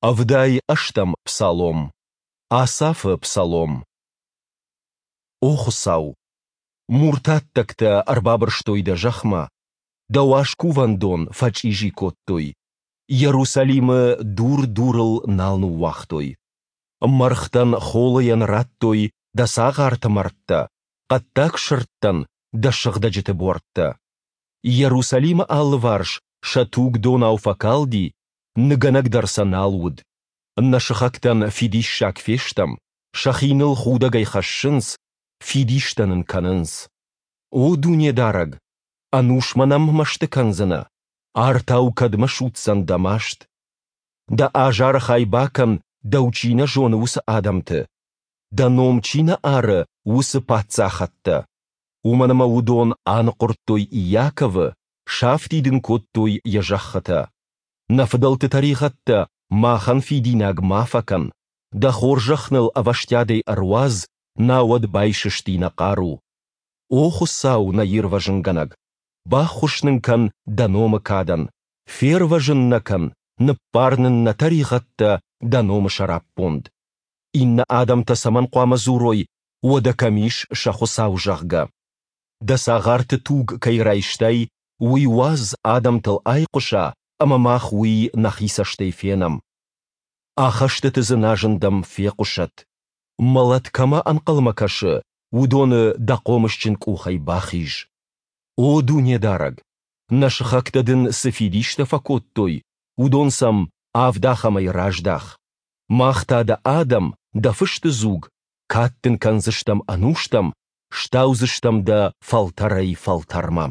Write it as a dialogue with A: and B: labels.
A: Ӕвдай ӕстӕм псалом. Асафы псалом. О Хуыцау! Муртаттӕгтӕ ӕрбабырстой Дӕ зӕхмӕ, Дӕ уаз Кувӕндон фӕчъизи кодтой, Йерусалимы дур дурыл нал ныууагътой. Мӕргътӕн холыйӕн радтой Дӕ цагъарты мӕрдтӕ, хъӕддаг сырдтӕн Дӕ сыгъдӕджыты буӕрттӕ. Йерусалимы алыварс сӕ туг донау фӕкалди, ныгӕнӕг дӕр сӕ нал уыд. Нӕ сыхӕгтӕн фидиссаг фестӕм, сӕхи ныл худӕгӕй хӕссынц, фидистӕ нын кӕнынц. О Дунедарӕг, ӕнусмӕ нӕм мӕсты кӕндзынӕ? Артау кӕдмӕ судздзӕн дӕ маст? Дӕ азары хай бакӕн, дӕу чи нӕ зоны, уыцы адӕмты, дӕ ном чи нӕ ары, уыцы паддзахӕдтӕ. Уымӕн ӕмӕ уыдон аныхъуырдтой Иаковы, сафтид ын кодтой йӕ зӕххытӕ. Нӕ фыдӕлты тӕригъӕдтӕ махӕн фидинаг ма фӕкӕн, дӕ хорзӕх ныл ӕвӕстиатӕй ӕруадз, науӕд байсысти нӕ хъару. О Хуыцау, нӕ Ирвӕзынгӕнӕг, баххуыс нын кӕн дӕ номы кадӕн, фервӕзын нӕ кӕн, ныббар нын нӕ тӕригъӕдтӕ дӕ номы сӕраппонд. Иннӕ адӕмтӕ цӕмӕн хъуамӕ дзурой, уӕдӕ кӕм ис сӕ Хуыцау, зӕгъгӕ? Дӕ цагъарты туг кӕй райстай, уый уадз адӕмтыл айхъуыса, ӕмӕ мах уый нӕхи цӕстӕй фенӕм. Ахӕстыты дзыназын дӕм фехъуысӕд. Мӕлӕт кӕмӕ ӕнхъӕлмӕ кӕсы, уыдоны дӕ хъомысджын къухӕй бахиз. О Дунедарӕг, нӕ сыхӕгтӕ дын цы фидистӕ фӕкодтой, уыдон сӕм авд ахӕмӕй раздах. Мах та дӕ адӕм, дӕ фысты дзуг, кад дын кӕндзыстӕм ӕнустӕм, стаудзыстӕм дӕ фӕлтӕрӕй-фӕлтӕрмӕ.